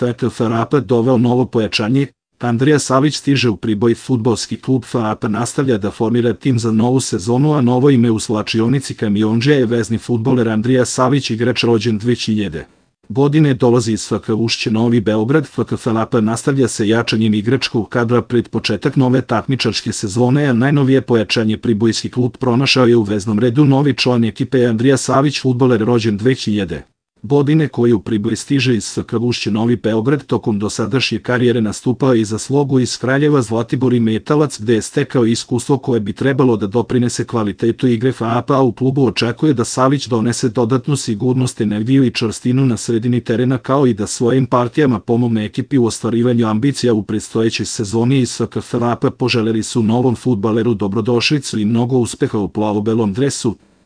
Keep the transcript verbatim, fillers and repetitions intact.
F K F A P doveo novo pojačanje. Andrija Savić stiže u Priboj. Fudbalski klub F A P nastavlja da formira tim za novu sezonu, a novo ime u slačionici Kamiondžija je vezni fudbaler Andrija Savić, igrač rođen dve hiljade godine, dolazi iz F K Ušće Novi Beograd. F K F A P nastavlja se jačanjem igračkog kadra pred početak nove takmičarske sezone, a najnovije pojačanje Pribojski klub pronašao je u veznom redu novi član ekipe Andrija Savić, fudbaler rođen dve hiljade godine, koji u Priboj stiže iz F K Ušće Novi Beograd. Tokom dosadašnje karijere nastupao i za Slogu iz Kraljeva, Zlatibor i Metalac, gde je stekao iskustvo koje bi trebalo da doprinese kvalitetu igre F A P, a u klubu očekuje da Savić donese dodatnu sigurnost, energiju i čvrstinu na sredini terena, kao i da svojim partijama pomogne ekipi u ostvarivanju ambicija u predstojećoj sezoni. Iz F K F A P poželeli su novom fudbaleru dobrodošlicu i mnogo uspeha u plavo-belom dresu.